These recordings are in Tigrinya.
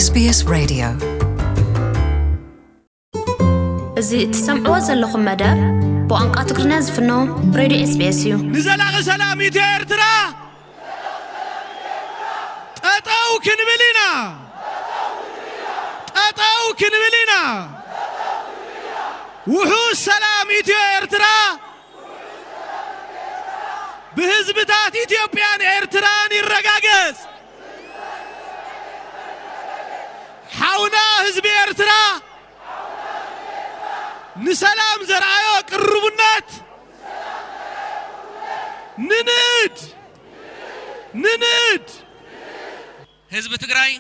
SBS Radio. እዚ እትሰምዕዎ ዘለኹም መደብ ብቋንቋ ትግርኛ ዝፍኖ ሬድዮ ኤስቢኤስ እዩ። ንዘላቒ ሰላም ኢትዮ ኤርትራ ጠጠው ክንብል ኢና። ጠጠው ክንብል ኢና። ውሑስ ሰላም ኢትዮ ኤርትራ ብህዝብታት ኢትዮጵያን ኤርትራን ይረጋገጽ። ሓውና ህዝቢ ኤርትራ ንሰላም ዘርኣዮ ቅርቡነት ንንእድ፣ ንንእድ። ህዝቢ ትግራይ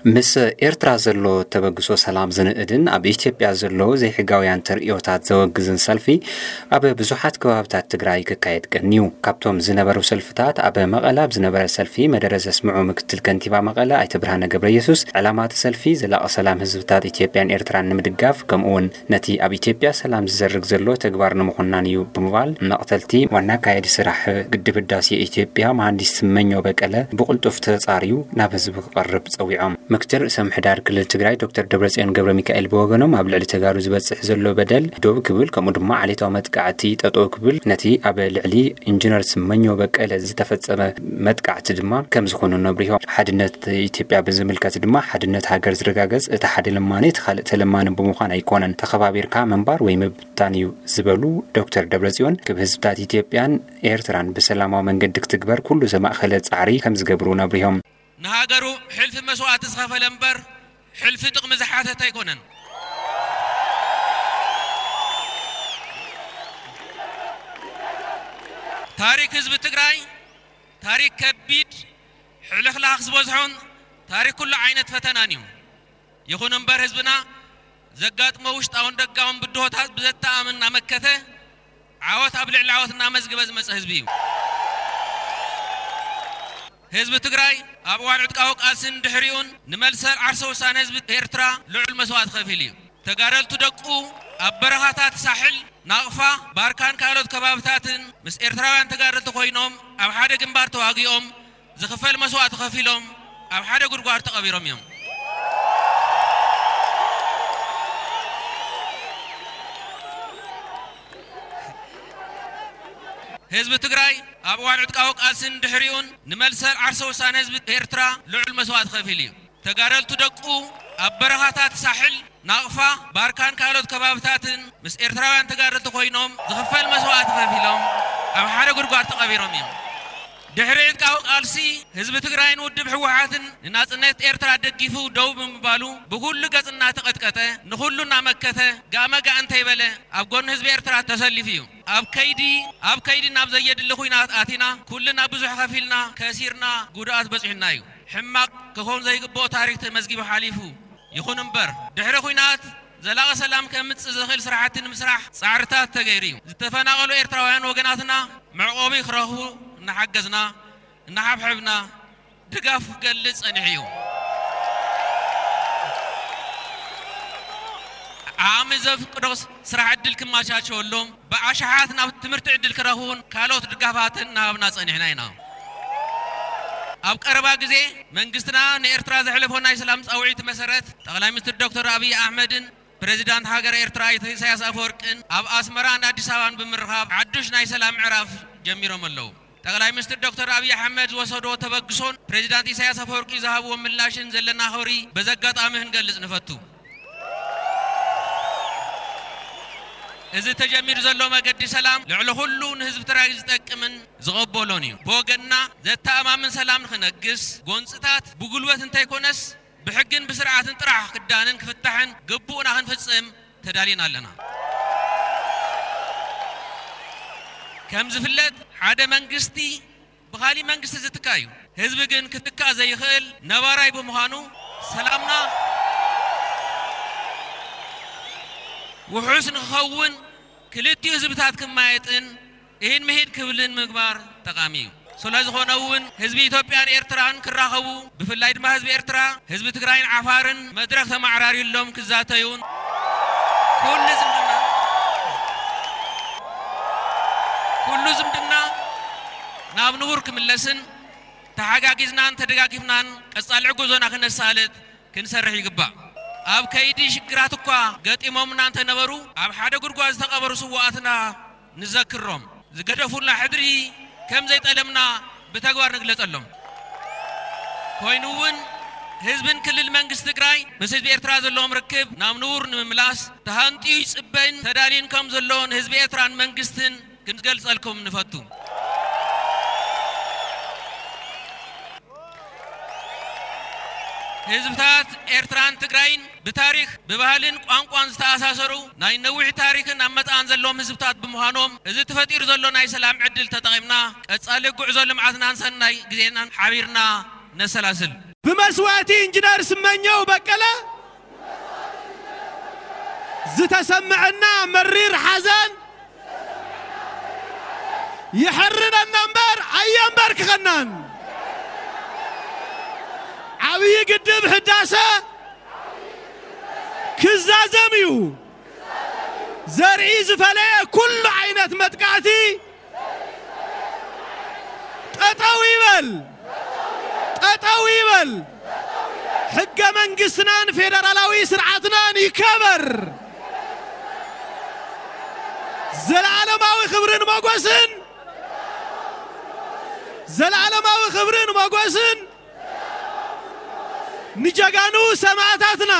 ምስ ኤርትራ ዘሎ ተበግሶ ሰላም ዝንእድን ኣብ ኢትዮጵያ ዘሎ ዘይሕጋውያን ተርእዮታት ዘወግዝን ሰልፊ ኣብ ብዙሓት ከባብታት ትግራይ ክካየድ ቀንዩ። ካብቶም ዝነበሩ ሰልፍታት ኣብ መቐለ ኣብ ዝነበረ ሰልፊ መደረ ዘስምዑ ምክትል ከንቲባ መቐለ ኣይተ ብርሃነ ገብረየሱስ ዕላማ እቲ ሰልፊ ዘላቒ ሰላም ህዝብታት ኢትዮጵያን ኤርትራን ንምድጋፍ ከምኡ እውን ነቲ ኣብ ኢትዮጵያ ሰላም ዝዘርግ ዘሎ ተግባር ንምኹናን እዩ ብምባል መቕተልቲ ዋና ኣካያዲ ስራሕ ግድብ ህዳሴ ኢትዮጵያ መሃንዲስ ስመኘው በቀለ ብቕልጡፍ ተጻርዩ ናብ ህዝቢ ክቐርብ ጸዊዖም። ምክትል ርእሰ ምሕዳር ክልል ትግራይ ዶክተር ደብረጽዮን ገብረ ሚካኤል ብወገኖም ኣብ ልዕሊ ተጋሩ ዝበጽሕ ዘሎ በደል ደው ክብል ከምኡ ድማ ዓሌታዊ መጥቃዕቲ ጠጠው ክብል ነቲ ኣብ ልዕሊ ኢንጂነር ስመኘው በቀለ ዝተፈጸመ መጥቃዕቲ ድማ ከም ዝኾኑ ነብሪሆም። ሓድነት ኢትዮጵያ ብዝምልከት ድማ ሓድነት ሃገር ዝረጋገጽ እቲ ሓደ ለማኒ እቲ ካልእ ተለማኒ ብምዃን ኣይኮነን፣ ተኸባቢርካ ምንባር ወይ ምብታን እዩ ዝበሉ ዶክተር ደብረጽዮን ክብ ህዝብታት ኢትዮጵያን ኤርትራን ብሰላማዊ መንገዲ ክትግበር ኩሉ ዘማእኸለ ጻዕሪ ከም ዝገብሩ ነብሪሆም። ንሃገሩ ሕልፊ መስዋእቲ ዝኸፈለ እምበር ሕልፊ ጥቕሚ ዝሓተተ ኣይኮነን። ታሪክ ህዝቢ ትግራይ ታሪክ ከቢድ ሕልኽላኽ ዝበዝሖን ታሪክ ኩሉ ዓይነት ፈተናን እዩ። ይኹን እምበር ህዝብና ዘጋጥሞ ውሽጣውን ደጋውን ብድሆታት ብዘተኣማምን እናመከተ ዓወት ኣብ ልዕሊ ዓወት እናመዝገበ ዝመፀ ህዝቢ እዩ። ህዝቢ ትግራይ ኣብ እዋን ዕጥቃዊ ቃልስን ድሕሪኡን ንመልሰ ዓርሰ ውሳነ ህዝቢ ኤርትራ ልዑል መስዋእቲ ከፊሉ እዩ። ተጋደልቱ ደቁ ኣብ በረኻታት ሳሕል፣ ናቕፋ፣ ባርካን ካልኦት ከባብታትን ምስ ኤርትራውያን ተጋደልቲ ኮይኖም ኣብ ሓደ ግንባር ተዋጊኦም ዝኽፈል መስዋእቲ ከፊሎም ኣብ ሓደ ጉድጓድ ተቐቢሮም እዮም። ህዝቢ ትግራይ ኣብ እዋን ዕጥቃዊ ቃልስን ድሕሪኡን ንመልሰ ዓርሰ ውሳነ ህዝቢ ኤርትራ ልዑል መስዋእቲ ከፊሉ እዩ። ተጋደልቱ ደቁ ኣብ በረኻታት ሳሕል፣ ናቕፋ፣ ባርካን ካልኦት ከባብታትን ምስ ኤርትራውያን ተጋደልቲ ኮይኖም ዝኽፈል መስዋእቲ ከፊሎም ኣብ ሓደ ጉድጓድ ተቐቢሮም እዮም። ድሕሪ ዕጥቃዊ ቃልሲ ህዝቢ ትግራይን ውድብ ህወሓትን ንናጽነት ኤርትራ ደጊፉ ደው ብምባሉ ብኹሉ ገጽ እናተቐጥቀጠ ንኹሉ እናመከተ ጋመ ጋእ እንተይበለ ኣብ ጎኒ ህዝቢ ኤርትራ ተሰሊፉ እዩ። ኣብ ከይዲ ኣብ ከይዲ ናብ ዘየድሊ ኹናት ኣቲና ኩልና ብዙሕ ከፊልና ከሲርና ጉድኣት በጺሑና እዩ። ሕማቕ ክኸውን ዘይግብኦ ታሪክ ተመዝጊቡ ሓሊፉ። ይኹን እምበር ድሕሪ ኹናት ዘላቒ ሰላም ከምጽእ ዝኽእል ስራሕቲ ንምስራሕ ጻዕርታት ተገይሩ እዩ። ዝተፈናቐሉ ኤርትራውያን ወገናትና መዕቆቢ ክረኽቡ እናሓገዝና እናሓብሐብና ድጋፍ ክገልጽ ጸኒሑ እዩ። ዓቕሚ ዘፍቅዶ ስራሕ ዕድል ክመቻቸወሎም ብኣሽሓት ናብ ትምህርቲ ዕድል ክረኽቡን ካልኦት ድጋፋትን እናሃብና ጸኒሕና ኢና። ኣብ ቀረባ ግዜ መንግስትና ንኤርትራ ዘሕለፎ ናይ ሰላም ጻውዒት መሰረት ጠቕላይ ሚኒስትር ዶክተር ኣብይ ኣሕመድን ፕሬዚዳንት ሃገር ኤርትራ ኣይተ ኢሳያስ ኣፈወርቅን ኣብ ኣስመራን ኣዲስ ኣበባን ብምርኻብ ሓዱሽ ናይ ሰላም ምዕራፍ ጀሚሮም ኣለዉ። ጠቕላይ ሚኒስትር ዶክተር ኣብይ ኣሕመድ ዝወሰዶ ተበግሶን ፕሬዚዳንት ኢሳያስ ኣፈወርቂ ዝሃብዎ ምላሽን ዘለና ክብሪ በዚ ኣጋጣሚ ክንገልጽ ንፈቱ። እዚ ተጀሚሩ ዘሎ መገዲ ሰላም ልዕሊ ኩሉ ንህዝቢ ትግራይ ዝጠቅምን ዝቐበሎን እዩ። ብወገንና ዘተኣማምን ሰላም ንክነግስ ጎንፅታት ብጉልበት እንተይኮነስ ብሕግን ብስርዓትን ጥራሕ ክዳንን ክፍታሕን ግቡእና ክንፍጽም ተዳሊና ኣለና። ከም ዝፍለጥ ሓደ መንግስቲ ብኻሊእ መንግስቲ ዝትካ እዩ። ህዝቢ ግን ክትካእ ዘይኽእል ነባራይ ብምዃኑ ሰላምና ውሑስ ንክኸውን ክልቲኡ ህዝብታት ክማየጥን ኢድ ምሂድ ክብልን ምግባር ጠቓሚ እዩ። ስለ ዝኾነ እውን ህዝቢ ኢትዮጵያን ኤርትራን ክራኸቡ ብፍላይ ድማ ህዝቢ ኤርትራ ህዝቢ ትግራይን ዓፋርን መድረኽ ተማዕራርዩሎም ክዛተዩን ኩሉ ዝምድና ኩሉ ዝምድና ናብ ንቡር ክምለስን ተሓጋጊዝናን ተደጋጊፍናን ቀጻሊ ጉዞና ክነሳልጥ ክንሰርሕ ይግባእ። ኣብ ከይዲ ሽግራት እኳ ገጢሞምና እንተነበሩ፣ ኣብ ሓደ ጉድጓድ ዝተቐበሩ ስውኣትና ንዘክሮም፣ ዝገደፉልና ሕድሪ ከም ዘይጠለምና ብተግባር ንግለጸሎም። ኮይኑ እውን ህዝብን ክልል መንግስቲ ትግራይ ምስ ህዝቢ ኤርትራ ዘለዎም ርክብ ናብ ንቡር ንምምላስ ተሃንጥዩ ይጽበይን ተዳልዩን ከም ዘሎ ንህዝቢ ኤርትራን መንግስትን ክንገልጸልኩም ንፈቱ። ህዝብታት ኤርትራን ትግራይን ብታሪኽ፣ ብባህልን ቋንቋን ዝተኣሳሰሩ ናይ ነዊሕ ታሪኽን ኣመጻእን ዘለዎም ህዝብታት ብምዃኖም፣ እዚ ተፈጢሩ ዘሎ ናይ ሰላም ዕድል ተጠቒምና ቀጻሊ ጉዕዞ ልምዓትናን ሰናይ ግዜናን ሓቢርና ነሰላስል። ብመስዋእቲ ኢንጂነር ስመኘው በቀለ ዝተሰምዐና መሪር ሓዘን የሕርነና እምበር ኣየንበርክኸናን። ዓብዪ ግድብ ህዳሰ ክዛዘም እዩ። ዘርኢ ዝፈለየ ኩሉ ዓይነት መጥቃዕቲ ጠጠው ይበል፣ ጠጠው ይበል። ሕገ መንግስትናን ፌደራላዊ ስርዓትናን ይከበር። ዘለዓለማዊ ክብርን ሞጎስን፣ ዘለዓለማዊ ክብርን ሞጎስን ንጀጋኑ ሰማእታትና።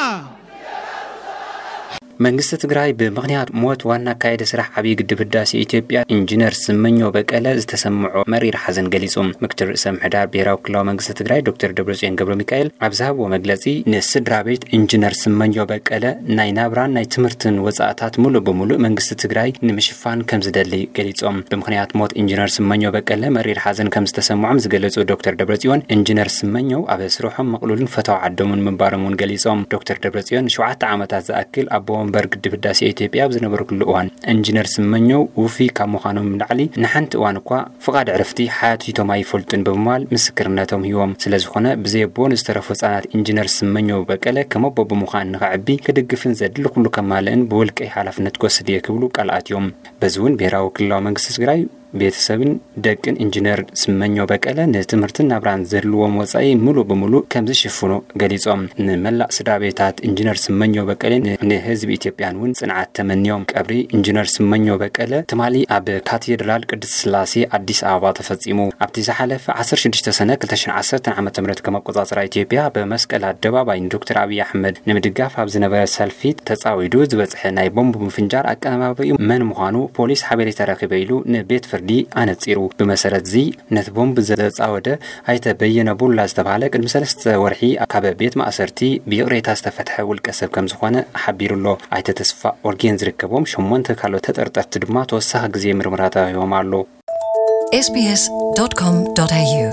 መንግስቲ ትግራይ ብምኽንያት ሞት ዋና ኣካያዲ ስራሕ ዓብዪ ግድብ ህዳሴ ኢትዮጵያ ኢንጂነር ስመኘው በቀለ ዝተሰምዖ መሪር ሓዘን ገሊጹ። ምክትል ርእሰ ምሕዳር ብሄራዊ ክልላዊ መንግስቲ ትግራይ ዶክተር ደብረጽዮን ገብረ ሚካኤል ኣብ ዝሃብዎ መግለጺ፣ ንስድራ ቤት ኢንጂነር ስመኘው በቀለ ናይ ናብራን ናይ ትምህርትን ወጻእታት ሙሉእ ብሙሉእ መንግስቲ ትግራይ ንምሽፋን ከም ዝደሊ ገሊጾም። ብምኽንያት ሞት ኢንጂነር ስመኘው በቀለ መሪር ሓዘን ከም ዝተሰምዖም ዝገለጹ ዶክተር ደብረጽዮን፣ ኢንጂነር ስመኘው ኣብ ስርሖም ምቕሉልን ፈታዊ ዓዶምን ምንባሮም እውን ገሊጾም። ዶክተር ደብረጽዮን ንሸውዓተ ዓመታት ዝኣክል ኣቦ ወንበር ግድብ ህዳሴ ኢትዮጵያ ኣብ ዝነበርኩሉ እዋን፣ ኢንጂነር ስመኘው ውፉይ ካብ ምዃኖም ንላዕሊ ንሓንቲ እዋን እኳ ፍቓድ ዕረፍቲ ሓቲቶም ኣይፈልጡን ብምባል ምስክርነቶም ሂቦም። ስለዝኾነ ብዘይ ኣቦ ንዝተረፉ ህጻናት ኢንጂነር ስመኘው በቀለ ከም ኣቦ ብምዃን ንኸዕቢ ክድግፍን ዘድሊ ኩሉ ከማልእን ብውልቀይ ሓላፍነት ክወስድ እየ ክብሉ ቃል ኣትዮም። በዚ እውን ብሄራዊ ክልላዊ መንግስቲ ትግራይ ቤተሰብን ደቅን ኢንጂነር ስመኘው በቀለ ንትምህርትን ናብራን ዘድልዎም ወጻኢ ሙሉእ ብሙሉእ ከም ዝሽፍኑ ገሊጾም። ንመላእ ስድራ ቤታት ኢንጂነር ስመኘው በቀለን ን-፣ ንህዝቢ ኢትዮጵያን እውን ጽንዓት ተመንዮም። ቀብሪ ኢንጂነር ስመኘው በቀለ ትማሊ ኣብ ካቴድራል ቅድስት ስላሴ ኣዲስ ኣበባ ተፈጺሙ። ኣብቲ ዝሓለፈ ዓሰርተ ሽዱሽተ ሰነ ክልተ ሽሕን ዓሰርተን ዓመተ ምህረት ከም ኣቆጻጽራ ኢትዮጵያ ብመስቀል ኣደባባይ ንዶክተር ኣብይ ኣሕመድ ንምድጋፍ ኣብ ዝነበረ ሰልፊ ተጻዊዱ ዝበጽሐ ናይ ቦምብ ምፍንጃር ኣቀነባባሪኡ መን ምዃኑ ፖሊስ ሓበሬታ ረኺበ ኢሉ ንቤት ፍርዲ ኣነጺሩ። ብመሰረት እዚ ነቲ ቦምብ ዘጻወደ ኣይተ በየነ ቡላ ዝተባህለ ቅድሚ ሰለስተ ወርሒ ካብ ቤት ማእሰርቲ ብይቕሬታ ዝተፈትሐ ውልቀ ሰብ ከም ዝኾነ ሓቢሩ ኣሎ። ኣይተ ተስፋ ኦርጌን ዝርከቦም ሸሞንተ ካልኦት ተጠርጠርቲ ድማ ተወሳኺ ግዜ ምርመራ ተዋሂቦም ኣሎ። sbs.com.au